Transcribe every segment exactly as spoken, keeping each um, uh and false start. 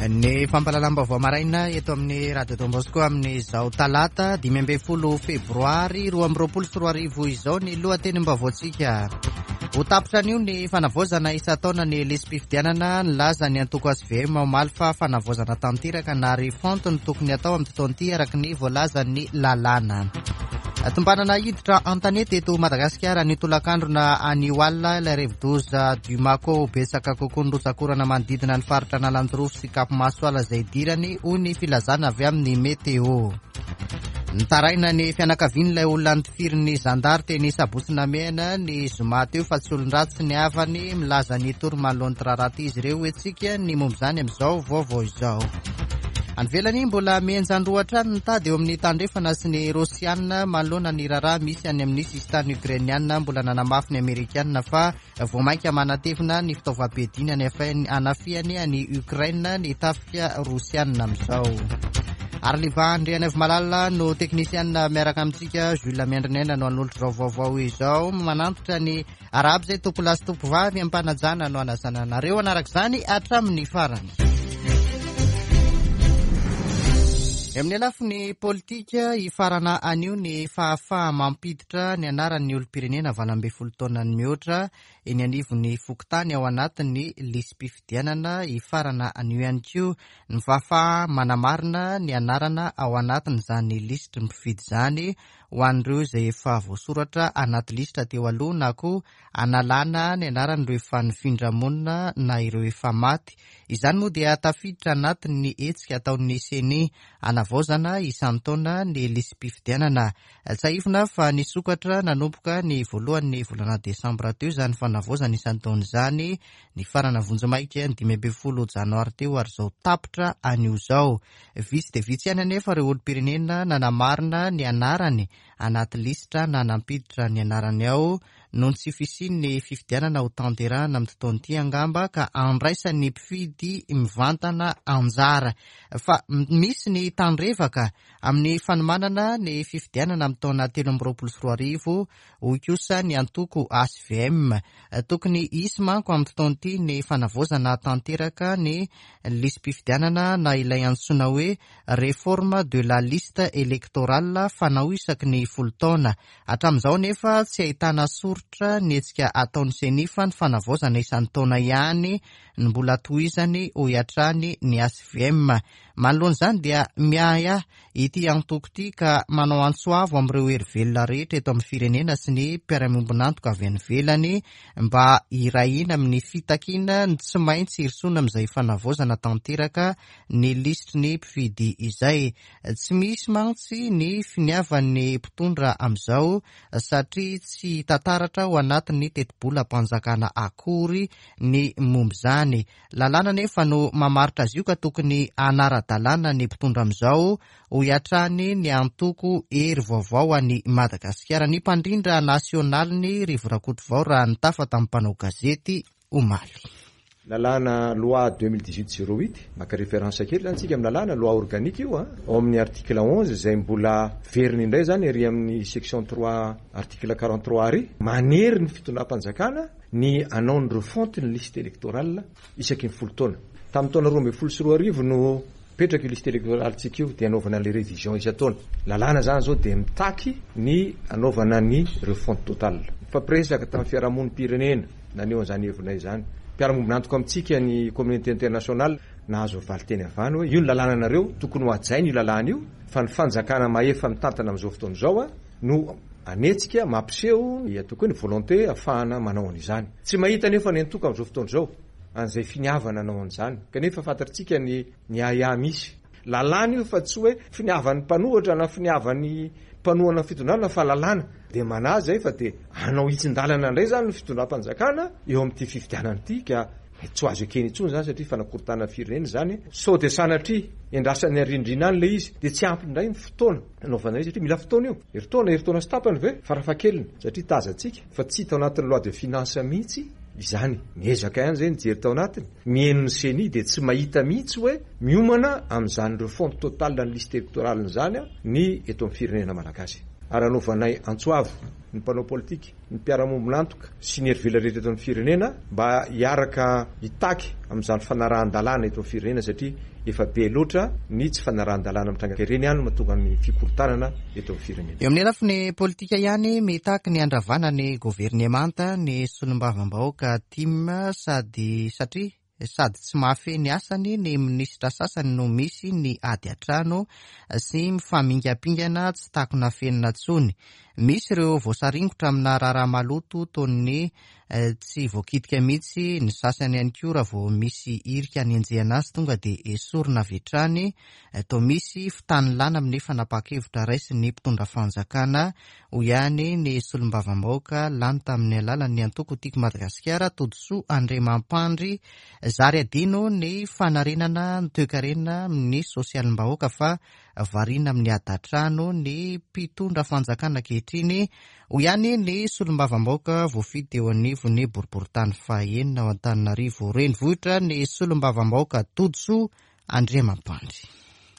Ny fampahalalam-baovao maraina eto amin'ny Radio Don Bosco amin'izao talata dimy ambin'ny folo febroary roa amby roapolo sy roa arivo izao ny lohatenim-baovaontsika. Ho tapitra anio ny fanavaozana isan-taona ny lisi-pifidianana. Nilaza ny antoko H V M omaly fa fanavaozana tanteraka na refonte no tokony atao amin'ity taona ity, araka ny voalazan'ny lalàna. Tombanana hiditra an-tanety eto Madagasikara ny tolakandrona anio alina ilay rivodoza Dumako. Betsaka kokoa ny rotsakorana manodidina ny faritra Analanjirofo sy Cap Masoala izay idirany, hoy ny filazana avy amin'ny météo. Nitaraina ny fianakavian'ilay olona notifirin'ny zandary teny Sabotsy Namehana ny zoma teo fa tsy olon-dratsy ny havany. Milaza ny tory manoloan'ny raharaha izy ireo. Hoentsika ny momba izany amin'izao vaovao izao. Any ivelany, mbola mihenjan-droa hatrany ny tady eo amin'ny tandrefana sy ny rosianina manoloana ny raharaha misy any amin'ny sisintany ukrainiana. Mbola nanamafy ny amerikanina fa vao mainka manatevina ny fitaovam-piadiana ny anafiany any Ukraine ny tafika rosianina amin'izao. Ary Liva Malala no teknisianina miaraka amintsika. Jules Miandrinena no hanolotra izao vaovao izao. Manantitra ny arahaba izay tompolahy sy tompovavy ampanajana no anasana anareo anaraka izany hatramin'ny farany. Amin'ny lafiny politika, hifarana anio ny fahafaha mampiditra ny anaran'ny olom-pirenena valo ambin'ny folo taona ny mihoatra eny anivon'ny fokontany ao anatin'ny lisi-pifidianana. Hifarana anio ihany koa ny fahafaha manamarina ny anarana ao anatin'izany lisitry ny mpifidy izany ho an'ireo izay efa voasoratra anaty lisitra teo aloha, na koa analana ny anaran'ireo efa nifindra monina na ireo efa maty. Izany moa dia tafiditra anatin'ny hetsika ataon'ny CENI anavaozana isan-taona ny lisi-pifidianana. Tsiahivina fa nisokatra nanomboka ny voalohan'ny volana desambra teo izany fanavaozana isan-taona izany, nifarana vonjimaika ny dimy ambin'ny folo janoary teo, ary izao tapitra anio izao. Vitsy dia vitsy ihany anefa ireo olom-pirenena nanamarina ny anarany anaty lisitra na nampiditra ny anarany ao, noho ny tsy fisian'ny fifidianana ho tanterahana amin'ny taona ity angamba ka andraisan'ny mpifidy mivantana anjara. Fa misy ny tandrevaka amin'ny fanomanana ny fifidianana amin'ny taona telo amby roapolo sy roa arivo, hoy kosa ny antoko H V M. Tokony hisy manko amin'ny taona ity ny fanavaozana tanteraka ny lisi-pifidianana na ilay antsoina hoe réforme de la liste électorale fanao isaky ny folo taona hatramin'izao, nefa tsy ahitana soritra ny hetsika ataon'ny CENI fa ny fanavaozana isan-taona ihany ny mbola tohizany, hoy hatrany ny H V M. Manoloana izany dia miahiahy ity antoko ity ka manao antso avo amin'ireo hery velona rehetra eto amin'ny firenena sy ny mpiara-miombon'antoka avy any ivelany mba hiray hina amin'ny fitakiana ny tsy maintsy hirosoana amin'izay fanavaozana tanteraka ny lisitry ny mpifidy izay. Tsy misy mantsy ny finiavan'ny mpitondra amin'izao satria tsy tantaratra ao anatin'ny tetibolam-panjakana akory ny momba izany. Lalàna nefa no mamaritra azy io ka tokony hanara-dalàna ny mpitondra amin'izao, hoy hatrany ny antoko Hery Vaovao any Madagasikara. Ny mpandrindra nasionaliny, Rivo Rakotovao, raha nitafa tamin'ny mpanao gazety omaly. Lalàna loi deux mille dix-huit zéro huit, maka référence kely zany tsika amin'ny lalàna, loi organique io a, ao amin'ny article onze zay mbola veriny indray zany ary amin'ny section trois article quarante-trois ary manery ny fitondram-panjakana ny anao ny refonte ny liste électorale isaky ny folo taona. Tamin'ny taona roa amby folo sy roa arivo no petraka io liste électorale tsika io, de anaovana le révision isan-taona. Lalàna zany zao de mitaky ny anaovana ny refonte totale. Fampiresaka tamin'ny fiarahamonim-pirenena naneho an'izany hevinay zany, mpiara-miombon'antoka amintsika ny communauté internationale, nahazo valiteny avany hoe io ny lalàna nareo, tokony ho hajaina io lalàna io, fa ny fanjakana mahefa mitantana am'izao fotoana izao a no anetsika mampiseho ataoko hoe ny volonté ahafahana manao an'izany. Tsy mahita nefa ny antoko am'izao fotoana izao an'izay finiavana anao an'izany, kanefa fantatritsika ny ny aia misy lalàna io, fa tsy hoe finiavan'ny mpanohitra na finiavan'ny mpanohana fitondrana, fa lalàna de manazy zay, fa de anao hitsin-dalana indray zany ny fitondram-panjakana eo amin'ity fifidianana ity, ka tsy ho azo ekeny intsony zany satria fanakorotana firenena zany. Sao de sanatria endrasany arindrina any le izy, de tsy ampy indray ny fotoana anaovana izy, satria mila fotoana io, heritaona, heritaona sy tapany ve farafahakeliny, satria tazantsika fa tsy hita ao anatin'ny loi de finance mihitsy izany. Miezaka ihany zay nijery tao anatiny, mihaino ny CENI, de tsy mahita mihitsy hoe miomana amin'izany refonte totale ny liste électorale zany a ny eto amin'ny firenena malagasy. Ary anaovanay antso avo ny mpanao politika, ny mpiara-mombonantoka sy ny hery velona rehetra eto amin'ny firenena mba hiaraka hitaky amin'izany fanarahan-dalàna eto amin'ny firenena, satria efa be loatra ny tsy fanarahan-dalàna mitranga ireny ihany no mahatonga ny fikorontanana eto amin'ny firenena. Eo amin'ny lafiny politika ihany, mitaky ny andravana ny governemanta ny solombavambahoaka TIM, sady satria sady tsy mahafehy ny asany ny minisitra sasany no misy ny ady an-trano sy mifamingampingana tsy takona fenina intsony. Misy ireo voasaringotra amina raharaha maloto toy ny tsy voakitika mihitsy, ny sasany ihany koa raha vao misy hirika anenjehana azy tonga dia esorina avy hatrany. Toa misy fitanilana amin'ny fanapahan-kevitra raisin'ny mpitondra fanjakana, hoy ihany ny solombavambahoaka lany tamin'ny alalan'ny antoko Tiako Madagasikara, Todisoa Andriamampandry. Zary adino ny fanarenana ny toekarena amin'ny sosialim-bahoaka fa variana amin'ny ady an-trano ny mpitondra fanjakana ankehitriny, hoy ihany ny solombavambahoaka voafidy eo anivon'ny boriborintany fahenina ao Antananarivo renivohitra, ny solombavambahoaka Todisoa Andriamampandry.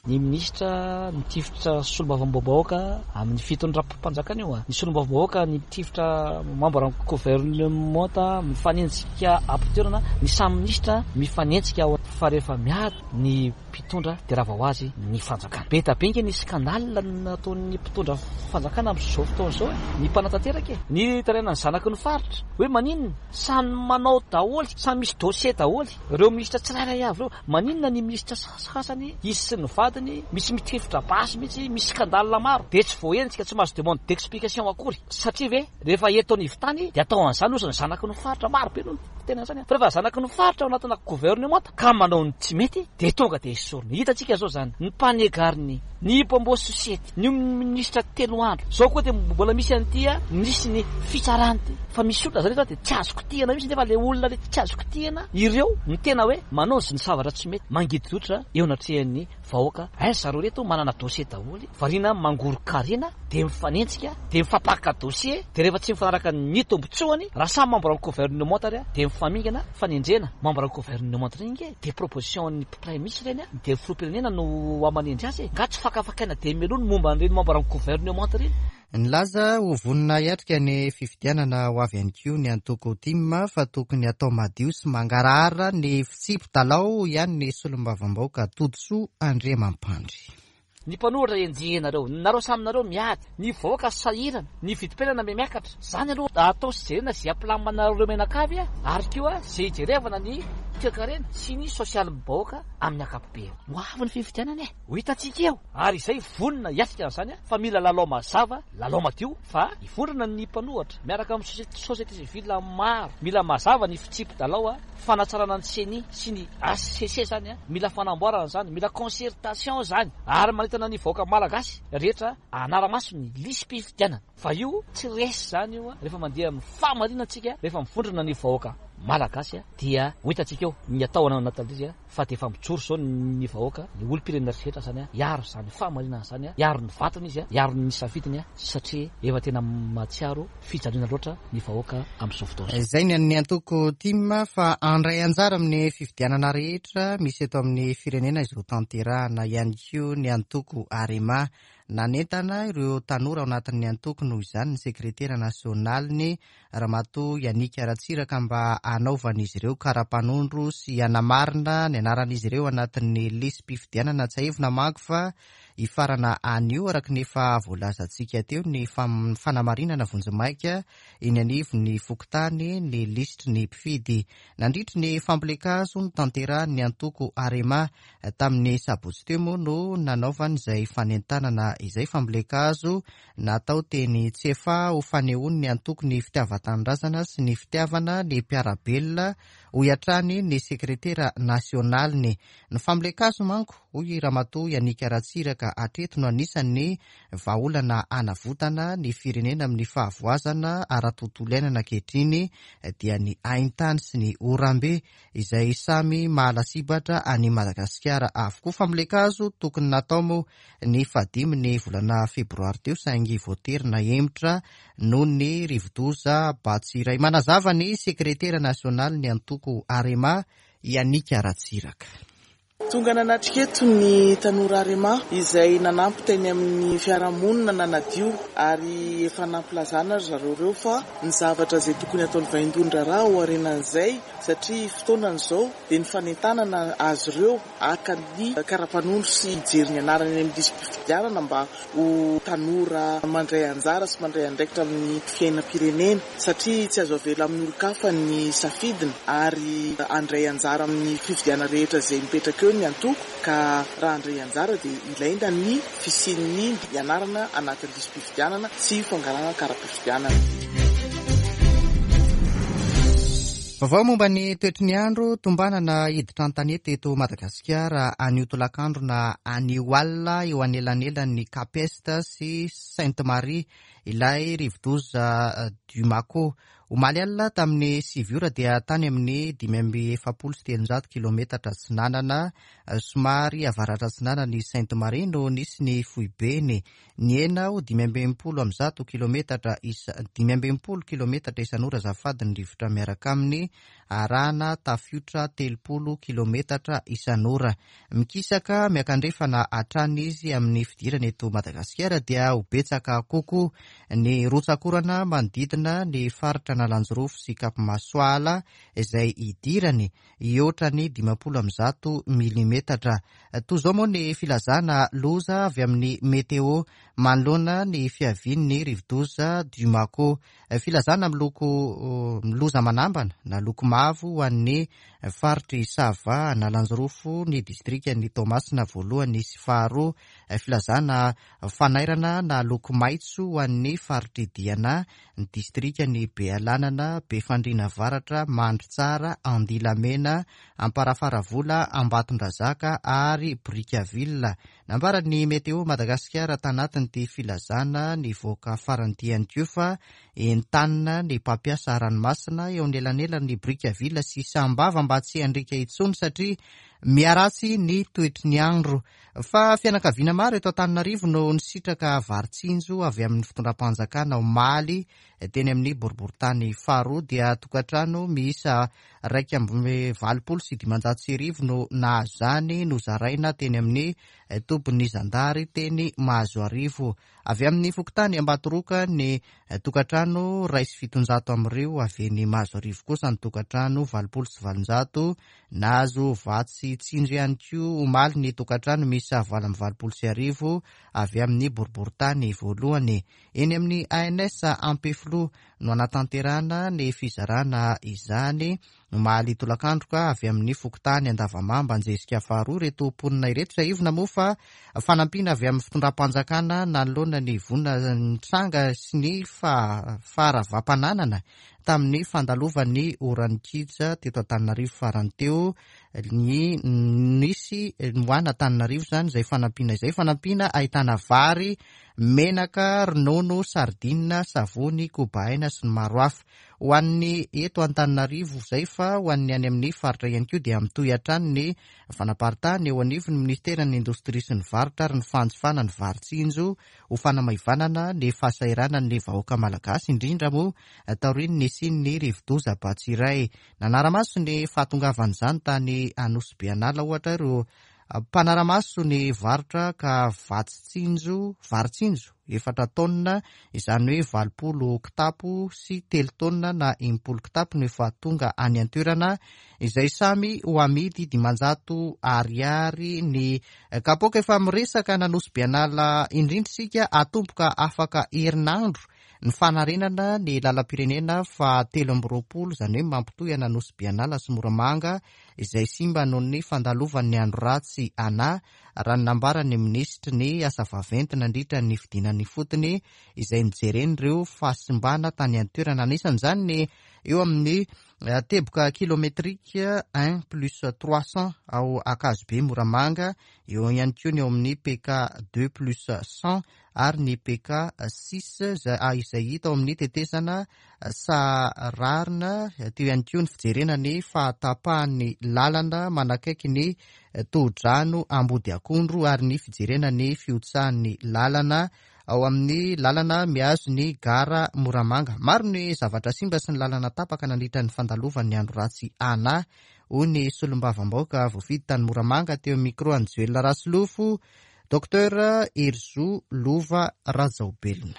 Ny minisitra nitifitra solombavambahoaka amin'ny fitondram-panjakana io, ny solombavambahoaka nitifitra membre gouvernement mifanenjika am-pitoerana, ny samy minisitra mifanenjika ao, fa rehefa miady ny mpitondra dia rava ho azy ny fanjakana. Be dia be nge ny scandale nataon'ny mpitondra fanjakana amin'izao fotoana izao, ny mpanatanteraka e, ny tarainan'ny zanaky ny faritra hoe maninona samy manao daholo, samy misy dossier daholo ireo minisitra tsirairay avy ireo. Maninona ny minisitra sasany izy sy ny vadiny misy mitifitra basy mihitsy, misy scandale maro, dia tsy voahenjika, tsy mahazo demande d'explication akory, satria ve rehefa eto anivon-tany dia atao an'izany ozy ny zanaky ny faritra maro be no tena zany, fa rehefa zanaky ny faritra ao anatina gouvernement ka manao ny tsy mety dia tonga dia esorina. Hitantsika zao zany ny mpanegariny, ny mpamboa société, ny minisitra telo andro zao koa dia mbola misy an'ity a, misy ny fitsarana ity, fa misy olona zany eto dia tsy azo kitihana mihitsy, nefa le olona le tsy azo kitihana ireo ny tena hoe manao ny zavatra tsy mety, mangididotra eo anatrehan'ny vahoaka. Aiza zareo reto manana dossier daholo, variana mangoro-karena dia mifanenjika, dia mifampaka dossier, dia rehefa tsy mifanaraka ny tombotsoany raha samy membre ny gouvernement ary dia mifamingana fanendrena membre ny gouvernement ireny nge, dia proposition ny premier ministre ireny dia filoham-pirenena no amanendry azy, nga tsy fakafakaina dia mialoha ny momba an'ireny membre ny gouvernement ireny. Nilaza ho vonona hiatrika ny fifidianana ho avy ihany koa ny antoko TIM, fa tokony atao madio sy mangarahara ny fitsipi-dalao ihany ny solombavambahoaka Todisoa Andriamampandry. Ny mpanohitra enjehinareo, nareo samy nareo miady, ny vahoaka sahirana, ny vidim-piainana miakatra. Zany aloha atao sy jerena izay ampilaminareo menakavy, ary koa izay hijerevana ny toekarena sy ny sosialim-bahoaka amin'ny ankapobeny. Ho avy ny fifidianana e, ho hitantsika eo, ary izay vonona hiatrika an'izany, fa mila lalao mazava, lalao madio, fa hivondrona ny mpanohitra miaraka amin'ny société civile maro. Mila mazava ny fitsipi-dalao, fanatsarana ny CENI sy ny H C C zany, mila fanamboarana zany, mila concertation zany, ary manentana ny vahoaka malagasy rehetra anara-maso ny lisi-pifidianana, fa io tsy resy zany io. Rehefa mandeha amin'ny fahamarinantsika, rehefa mivondrona ny vahoaka malagasy dia ho hitantsika eo ny atao anatin'izy, fa dia efa mijoro zao ny vahoaka, ny olom-pirenena rehetra zany hiaro zany fahamarinana zany, hiaro ny vatony izy, hiaro ny safidiny, satria efa tena mahatsiaro fijaliana loatra ny vahoaka amin'izao fotoana izao. Izay ny an'ny antoko TIM, fa handray anjara amin'ny fifidianana rehetra misy eto amin'ny firenena izao tanterahana ihany koa ny antoko AREMA. Nanentana ireo tanora ao anatin'ny antoko noho izany ny sekretera nasionaliny Ramatoa Yannick Ratsiraka mba hanaovan'izy ireo kara-panondro sy hanamarina ny anaran'izy ireo anatin'ny lisi-pifidianana. Tsiahivina manko fa hifarana anio araka ny efa voalazantsika teo ny fanamarinana vonjimaika eny anivon'ny fokontany ny lisitry ny mpifidy. Nandritry ny fampielezan-kazo notanterahin'ny antoko AREMA tamin'ny sabotsy teo moa no nanaovany izay fanentanana izay, fampielezan-kazo natao teny Tsefa ho fanehoan'ny antoko ny fitiavan-tanindrazana sy ny fitiavana ny mpiara-belona, hoy hatrany ny sekretera nasionaliny. Ny fampielezan-kazo manko, hoy Ramatoa Yannick Ratsiraka, hatreto no anisan'ny vahaolana hanavotana ny firenena amin'ny fahavoazana ara-tontolo iainana ankehitriny, dia ny haintany sy ny orambe izay samy mahalasibatra any Madagasikara avokoa. Fampielezan-kazo tokony natao moa ny fahadimy ny volana febroary teo, saingy voatery nahemotra noho ny rivodoza Batsiray. Manazava ny sekretera nasionaly ny antoko AREMA, Yannick Ratsiraka. Tonga nanatrika eto ny tanora Arema izay nanampy teny amin'ny fiarahamonina nanadio, ary efa nampilazana ry zareo ireo fa ny zavatra izay tokony ataon'ny vaindohan-draharaha ho arenan'izay, satria fotoanan'izao dia ny fanentanana azy ireo haka ny karapanondro sy hijery ny anarany any amin'ny lisi-pifidianana mba ho tanora mandray anjara sy mandray andraikitra amin'ny fiainam-pirenena, satria tsy azo avela amin'ny olon-kafa ny safidiny ary handray anjara amin'ny fifidianana rehetra izay mipetraka eo ny antoko, ka raha handray anjara dia ilaina ny fisian'ny anarana anatin'ny lisi-pifidianana sy fangalana kara-pifidianana. Vaovao momba ny toetry ny andro, tombanana hiditra an-tanety eto Madagasikara anio tolakandro na anio alina eo anelanelan'ny Cap Est sy Sainte Marie ilay rivodoza Dumako. Omaly alina tamin'ny sivy ora dia tany amin'ny dimy amby efapolo sy telonjato kilometatra atsinanana somary avaratra atsinanana ny Sainte Marie no nisy ny foibeny. Nihena ho dimy amby enimpolo amby zato kilometatra isa dimy amby enimpolo kilometatra isan'ora azafady ny rivotra miaraka aminy, arahana tafiotra telopolo kilometatra isan'ora. Mikisaka miakandrefana hatrany izy amin'ny fidirana eto Madagasikara dia ho betsaka kokoa ny rotsakorana manodidina ny faritra Analanjirofo sy Cap Masoala izay idirany hihoatra ny dimampolo amby zato milimetatra. Toy izao moa ny filazana loza avy amin'ny météo manoloana ny fiavian'ny rivodoza Dumako. Filazana miloko loza manambana na loko mavo ho an'ny faritry Sava, Analanjirofo, ny distrikan'i Toamasina voalohany sy faharoa. Filazana fanairana na loko maitso ho an'ny faritry Diana, ny distrikan'i Bealanana, Befandriana Avaratra, Mandritsara, Andilamena, Amparafaravola, Ambatondrazaka ary Brickaville. Nambaran'ny Météo Madagasikara tanatin'ity filazana nivoaka farany ity ihany koa fa entanina ny mpampiasa ranomasina eo anelanelan'ny Brickaville sy Sambava mba tsy handriaka intsony satria miharatsy ny toetry ny andro. Fa fianakaviana maro eto Antananarivo no nisitraka vary tsinjo avy amin'ny fitondram-panjakana omaly teny amin'ny boriborintany faharoa, dia tokantrano miisa iraika amby valopolo sy dimanjato sy arivo no nahazo izany, nozaraina teny amin'ny tobin'ny zandary teny Mahazoarivo. Avy amin'ny fokontany Ambatoroka ny tokantrano iray sy fitonjato amin'ireo, avy eny Mahazoarivo kosa ny tokantrano valopolo sy valonjato. Nahazo vatsy tsinjo ihany koa omaly ny tokantrano miisa valo amby valopolo sy arivo avy amin'ny boriborintany voalohany. Eny amin'ny A N S Ampefiloha no anatanterahana ny fizarana izany omaly tolakandro ka avy amin'ny fokontany Andavamamba Anjezika faharoa ireto mponina ireto. Tsiahivina moa fa fanampiana avy amin'ny fitondram-panjakana nanoloana ny voina nitranga sy ny faharavam-pananana tamin'ny fandalovan'ny oran-kija teto Antananarivo farany teo ny nisy moana Antananarivo izany izay fanampiana izay, fanampiana ahitana vary, menaka, ronono, sardine, savony, kobaina sy ny maro hafa. Ho an'ny eto Antananarivo izay, fa ho an'ny any amin'ny faritra ihany koa dia mitohy hatrany ny fanaparitahana eo anivon'ny ministeran'ny indostria sy ny varotra ary ny fanjifana ny vary tsinjo ho fanamaivanana ny fahasahiranan'ny vahoaka malagasy, indrindra moa taorian'ny nisian'ny rivodoza Batsirai. Nanara-maso ny fahatongavan'izany tany Anosy Be An'Ala ohatra ireo mpanara-maso ny varotra ka vatsy tsinjo, vary tsinjo efatra taonina, izany hoe valopolo kitapo sy telo taonina na enimpolo kitapo no efa tonga any an-toerana, izay samy ho amidy dimanjato ariary ny kapoaka. Efa miresaka n'Anosy Be An'Ala indrindra isika, atomboka afaka herinandro ny fanarenana ny lalam-pirenena fa telo amby roapolo, izany hoe mampitohy an'Anosy Be An'Ala sy Moramanga, izay simba noho ny fandalovan'ny andro ratsy ana, raha ny nambaran'ny minisitry ny asa vaventy nandritra ny fidinany fotony izay nijeren'ireo fahasimbana tany an-toerana. Anisan'izany ny eo amin'ny teboka kilometrika un plus trois cents ao Ankazobe Moramanga, eo ihany koa ny eo amin'ny P K deux plus cent ary ny P K six izay hita ao amin'ny tetezana Sararina. Teo ihany koa ny fijerena ny fahatapahan'ny lalana manakaiky ny tohodrano Ambody Akondro ary ny fijerena ny fihotsahan'ny lalana ao amin'ny lalana mihazo ny gara Moramanga. Maro ny zavatra simba sy ny lalana tapaka nandritra ny fandalovan'ny andro ratsy ana. hoy ny solombavambahoaka voafidy tany Moramanga teo micro an'i Joel Rasolofo, Docteur Herizo Lova Rajaobelina.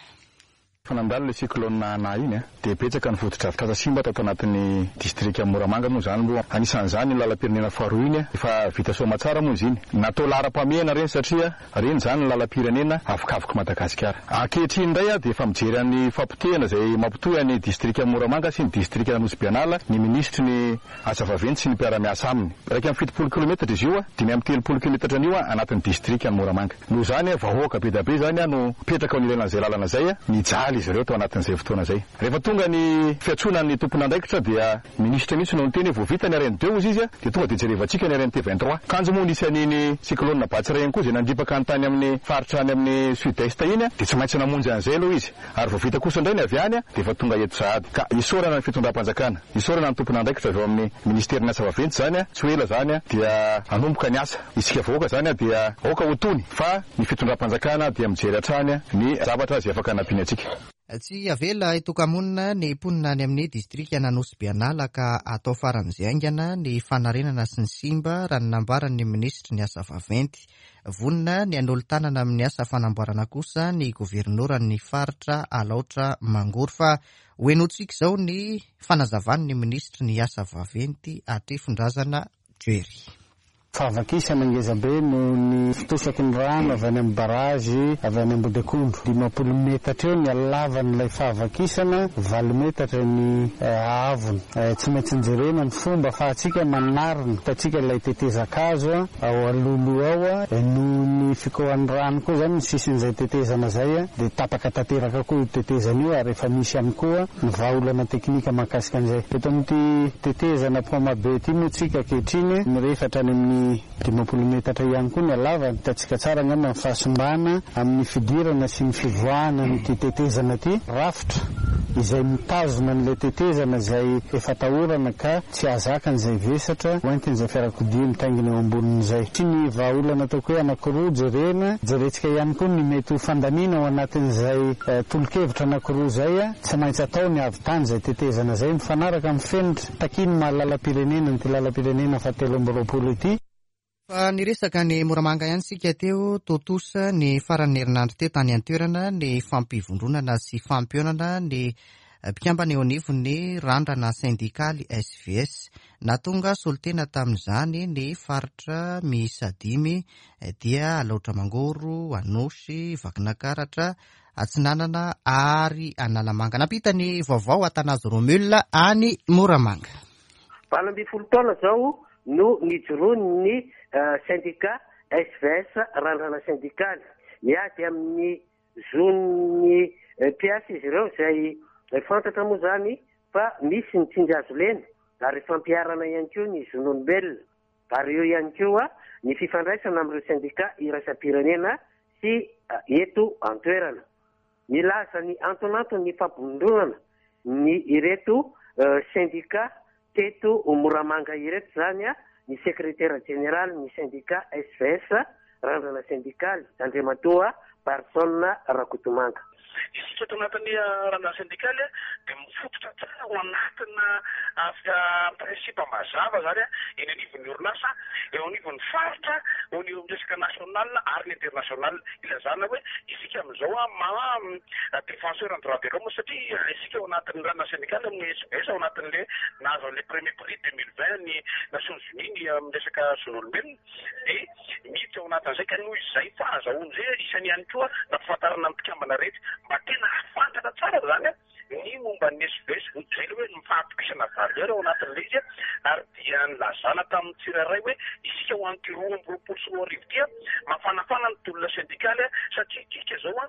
Fa nandalo ilay cyclone Ana iny a, dia betsaka ny fotodrafitrasa simba tato anatin'ny distrika Moramanga moa izany moa. Anisan'izany iny lalam-pirenena faharoa iny a, efa vita soamatsara moa izy iny. Natao laharam-pahamehana ireny satria ireny izany ny lalam-pirenena avokavoky Madagasikara. Ankehitriny indray a, dia efa mijery an'ny fampotehana izay mampitohy an'ny distrika Moramanga sy ny distrika Nosy Be Anala ny minisitry ny asa vaventy sy ny mpiara-miasa aminy. Iraika amby fitopolo kilometatra izy io a, dimy amby telopolo kilometatra an'io a, anatin'ny distrika Moramanga. Noho izany a, vahoaka be dia be izany a no mipetraka ao anilan'izay lalana izay a, nijaly izy ireo tao anatin'izay fotoana izay. Rehefa tonga ny fiantsoana ny tompon'andraikitra dia minisitra mihitsy no niteny hoe vao vita ny R N deux izy izy a, dia tonga dia jerevantsika ny R N T vingt-trois. Kanjo moa nisy an'iny cyclone Batsirai ihany koa izay nandripaka ny tany amin'ny faritra any amin'ny sud-est iny a, dia tsy maintsy namonjy an'izay aloha izy. Ary vao vita kosa indray ny avy any a, dia efa tonga eto sahady. Ka isaorana ny fitondram-panjakana, isaorana ny tompon'andraikitra avy ao amin'ny ministerin'ny asa vaventy izany a, tsy ho ela izany a, dia hanomboka ny asa. Isika vahoaka izany a, dia aoka ho tony fa ny fitondram-panjakana dia mijery hatrany a, ny zavatra izay afaka hanampiana antsika. Tsy avela hitoka-monina ny mponina any amin'ny distrika Nosy Be Anala ka atao faran'izay haingana ny fanarenana sy ny simba raha ny nambaran'ny minisitry ny asa vaventy. Vonona ny hanolo-tanana amin'ny asa fanamboarana kosa ny governoran'ny faritra Alaotra Mangoro. Fa ho henotsika izao ny fanazavan'ny minisitry ny asa vaventy Hatrefindrazana Jerry. Fahavakisana ngeza be noho ny fitosaky ny rano avy any amin'ny barazy avy any Ambodakondro. Dimampolo metatra eo ny halavan'ilay fahavakisana, valo metatra ny haavony. Tsy maintsy jerena ny fomba ahafahantsika manarina. Hitantsika ilay tetezan-kazo ao alohaloha ao, noho ny fikohan'ny rano koa izany ny sisin'izay tetezana izay dia tapaka tanteraka koa io tetezana io, ary efa misy ihany koa ny vahaolana teknika mahakasika an'izay. Eto amin'ity tetezana Pont-Mabe ity moa tsika ankehitriny mirefatra any amin'ny dimampolo metatra ihany koa ny halavany. Hitantsika tsara angamba ny fahasimbana amin'ny fidirana sy ny fivoahana amin'ity tetezana ity. Rafitra izay mitazona an'ilay tetezana izay efa atahorana ka tsy hahazaka an'izay vesatra hoentin'izay fiarakodia mitaingina eo ambonin'izay. Tsy ny vahaolana ataoko hoe anankiroa jerena, jerentsika ihany koa ny mety ho fandaniana ao anatin'izay tolo-kevitra anankiroa izay. Tsy maintsy atao ny avy tany izay tetezana izay mifanaraka amin'ny fenitra takian'ny maha lalam-pirenena an'ity lalam-pirenena fahatelo amby roapolo ity. Fa niresaka ny Moramanga ihany sika teo, tontosa ny faran'ny herinandro teo tany an-toerana ny fampivondronana sy fampionana ny mpikambana eo anivon'ny randrana sendikaly S V S. Nahatonga solontena tamin'izany ny faritra miisa dimy dia Alaotra Mangoro, Anosy, Vakinankaratra, Atsinanana ary Analamanga. Nampita ny vaovao Athanase Romule any Moramanga. Valo ambin'ny folo taona izao no nijoroan'ny syndicat S V S randrana sendikaly. Miady amin'ny zon'ny mpiasa izy ireo izay fantatra moa izany fa misy ny tsindry hazo lena ary fampiharana ihany koa ny zon'olombelona, ary eo ihany koa ny fifandraisana amin'ireo syndicat iraisam-pirenena sy eto an-toerana. Milaza ny antonanton'ny fampivondronana ny ireto syndicat teto Moramanga ireto izany a, ny sekretera jeneraly ny syndicat S V S randrana sendikaly Andriamatoa Barson Rakotomanga. Isika ato anatin'ny randrana sendikaly dia mifototra tsara ao anatina principe mazava zany eny anivon'ny orinasa, eo anivon'ny faritra, eo anivon'ny resaka national ary ny international. Ilazana hoe isika amin'izao a maha défenseur en droit de l'homme satria isika ao anatin'ny randrana sendikaly amin'ny S V S ao anatin'le nahazo an'le premier prix deux mille vingt ny Nations Unies ny amin'ny resaka zon'olombelona dia miditra ao anatin'izay ka noho izay fahazahoana izay isany ihany koa nampifantarana ny mpikambana rehetra mba tena hahafantatra tsara zany a ny momba ny S V S, izay ilay hoe ny fahatokisana valeur ao anatin'ilay izy a, ary dia nilazana tamin'ny tsirairay hoe isika ho an'ity roa amby roapolo sy roa arivo ity a, mafanafana ny tolona sendikaly a, satria isika izao a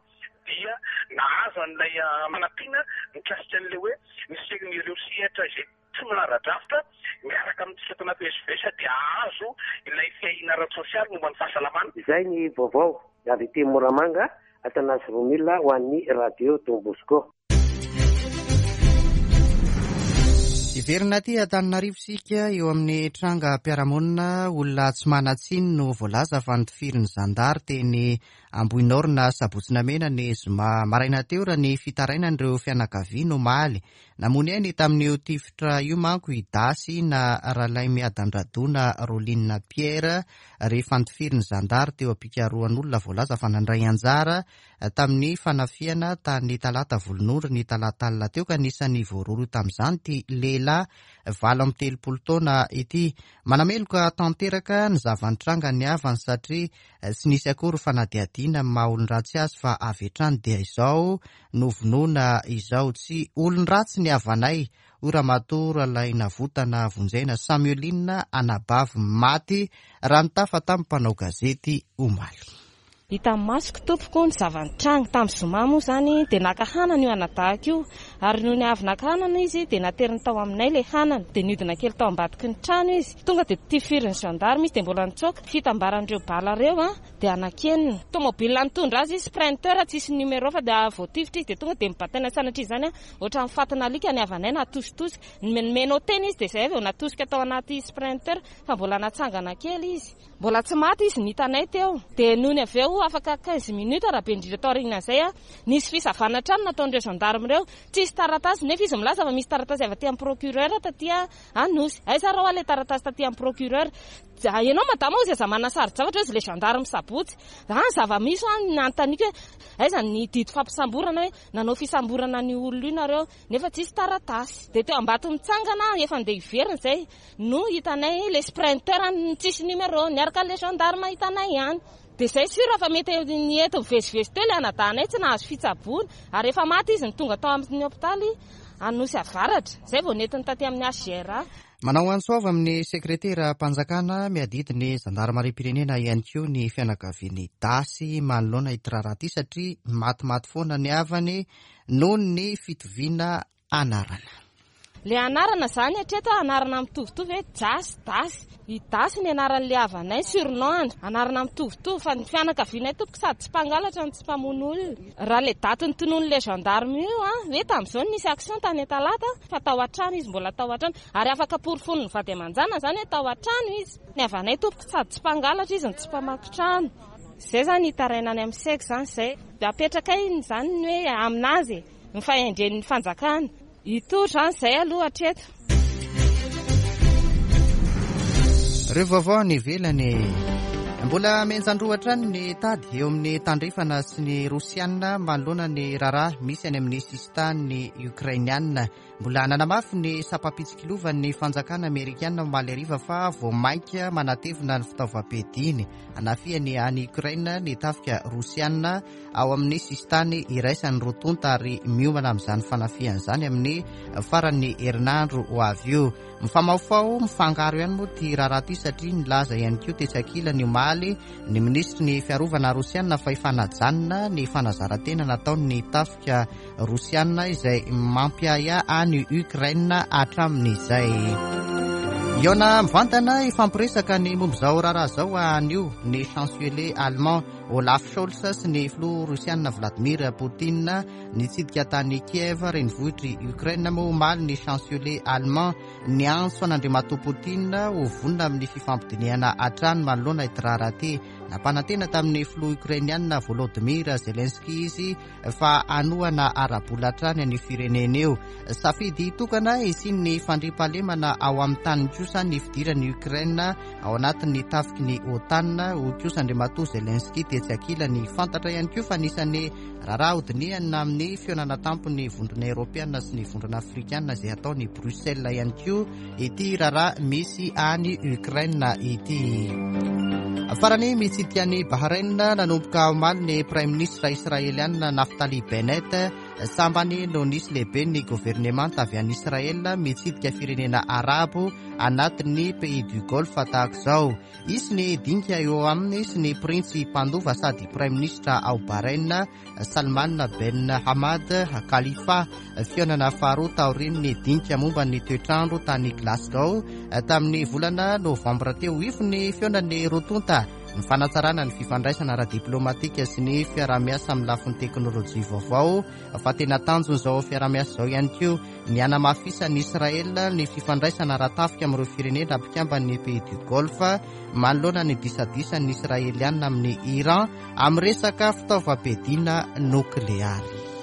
dia nahazo an'ilay fanampiana mikasika an'ilay hoe ny se-, ireo sehatra izay tsy manara-drafitra miaraka amintsika ato anatin'ny S V S dia hahazo ilay fiahiana ara-tsosialy momba ny fahasalamana. Izay ny vaovao avy aty Moramanga, Athanase Romule ho an'ny Radio Don Bosco. Hiverina aty Antananarivo isika eo amin'ny trangam-piarahamonina. Olona tsy manan-tsiny no voalaza fa notifirin'ny zandary teny Ambohinorina Sabotsy Namehana ny zoma maraina teo raha ny fitarainan'ireo fianakaviana omaly. Namono ainy tamin'io tifitra io manko i Dasy na Ralaimiadandradona Roline Pierre rehefa notifirin'ny zandary teo am-pikarohan'olona voalaza fa nandray anjara tamin'ny fanafihana tany Talata Volonondry ny talata alina teo, ka anisan'ny voarohirohy tamin'izany ity lehilahy valo amby telopolo taona ity. Manameloka tanteraka ny zava-nitranga ny havany satria tsy nisy akory fanadihadiana amin'ny maha olon-dratsy azy fa avy hatrany dia izao novonoina izao. Tsy olon-dratsy ny havanay, hoy Ramatoa Ralainavotana Vonjena Samueline, anabavy maty raha nitafa tamin'ny mpanao gazety omaly. Hita masoko tompoko ny zava-nitranga tamin'ny zoma moa izany dia naka hanana io anadahako io, ary noho ny avy naka hanana izy dia nateriny tao aminay ilay hanana, dia niodina kely tao ambadiky ny trano izy, tonga dia tifirin'ny gendarme izy dia mbola nitsoaka. Fitambaran'ireo bala ireo a dia anankenina. Tomobile nitondra azy izy, sprinter tsisy numéro fa dia voatifitra izy dia tonga dia mibataina sanatria izany a ohatran'ny fatina alika ny havanay natositosika, nomenao tena izy dia izay vao natosika tao anaty sprinter fa mbola natsangana kely izy, mbola tsy maty izy ny hitanay teo. Dia noho ny avy eo afaka quinze minutes raha be indrindra tao aorian'izay a nisy fisavana trano nataon'ireo gendarme ireo, tsisy taratasy nefa izy milaza fa misy taratasy avy aty amin'ny procureur taty Anosy. Aiza raha ilay taratasy taty amin'ny procureur? Ianao madama hozy aza manana saro-javatra hozy ilay gendarme sabotsy. Ah, zava-misy an, nanontaniako hoe aiza ny didy fampisamborana hoe nanao fisamborana ny olona io nareo nefa tsisy taratasy. Dia teo ambato mitsangana efa andeha hiverina izay no hitanay ilay sprinter tsisy numéro niaraka ilay gendarme hitanay ihany. Dia izay sûr fa mety ny eto mivezivezy teo ilay anadahanay tsy nahazo fitsaboana ary efa maty izy no tonga tao amin'ny hopitaly Anosy Avaratra, izay vao nentiny taty amin'ny H G R A. Manao antso avy amin'ny sekretera-mpanjakana miadidy ny zandarimariam-pirenena ihany koa ny fianakavian'ny Dasy manoloana ity raharaha ity satria matimaty foana ny havany noho ny fitoviana anarana. Le anarana izany hatreto anarana mitovitovy hoe Jasy, Dasy. I Dasy ny anaran'ilay havanay, surnom, anarana mitovitovy fa ny fianakavianay tompoko sady tsy mpangalatra no tsy mpamono olona. Raha ilay daty notononin'ilay gendarme io a, hoe tamin'izao no nisy action tany Talata fa tao an-trano izy, mbola tao an-trano ary afaka porofon'ny vady aman-janany izany hoe tao an-trano izy. Ny havanay tompoko sady tsy mpangalatra izy no tsy mpamaky trano. Izay izany hitaraina any amin'ny seky izany izay. Dia apetrakay izany ny hoe aminazy ny fahendren'ny fanjakana. Hitory izany izay aloha hatreto. Ireo vaovao any ivelany. Mbola mihenjan-droa hatrany ny tady eo amin'ny tandrefana sy ny Rosiana manoloana ny raharaha misy any amin'ny sisintany Ukrainiana. Mbola nanamafy ny sampam-pitsikilovan'ny fanjakana amerikana omaly hariva fa vao mainka manatevina ny fitaovam-piadiany hanafihany any Ukraine ny tafika Rosiana ao amin'ny sisintany iraisan'ny roa tonta ary miomana amin'izany fanafihana izany amin'ny faran'ny herinandro ho avy io. Mifamahofaho mifangaro ihany moa ity raharaha ity satria nilaza ihany koa tetsy ankilany omaly ny minisitry ny fiarovana rosiana fa efa najanona ny fanazaran-tena nataon'ny tafika rosiana izay mampiahiahy any Ukraine hatramin'izay. Hihaona mivantana hifampiresaka ny momba izao raharaha izao anio ny chancelier allemand Olaf Scholz sy ny filoha rosiana Vladimir Poutine. Nitsidika tany Kiev renivohitr'i Ukraine moa omaly ny chancelier allemand niantso an'Andriamatoa Poutine ho vonona amin'ny fifampidinihana hatrany manoloana ity raharaha ity. Nampanantena tamin'ny filoha ukrainiana Volodymyr Zelensky izy fa hanohana ara-bola hatrany ny firenena io. Safidy tokana hisian'ny fandriampahalemana ao amin'ny tany kosa ny fidiran'i Ukraine ao anatin'ny tafiky ny OTAN, hoy kosa Andriamatoa Zelensky tetsy ankilany. Fantatra ihany koa fa anisan'ny raharaha hodinihana amin'ny fihaonana tampon'ny vondrona eoropeana sy ny vondrona afrikana izay ataony Bruxelles ihany koa ity raharaha misy any Ukraine ity. Farany mitsidika any Bahrain nanomboka omaly ny Prime Ministre israeliana Naftali Bennett. Sambany no nisy lehibe ny governemanta avy any Israel mitsidika firenena arabo anatin'ny pays du Golfe tahaka izao. Hisy ny dinika eo aminy sy ny printsy mpandova sady Prime Ministre ao Bahrain Salman Ben Hamad Khalifa. Fihaonana faharoa taorian'ny dinika momba ny toetrandro tany Glasgow tamin'ny volana novambra teo. Ifo ny fihaonan'ny roa tonta ny fanatsarana ny fifandraisana ara-diplomatika sy ny fiaraha-miasa amin'ny lafiny teknolojia vaovao. Fa tena tanjon'izao fiaraha-miasa izao ihany koa ny hanamafisan'i Israel ny fifandraisana ara-tafika amin'ireo firenena mpikamban'ny pays du Golfe, manoloana ny disadisan'ny Israelianina amin'ny Iran amin'ny resaka fitaovam-piadiana nokleary.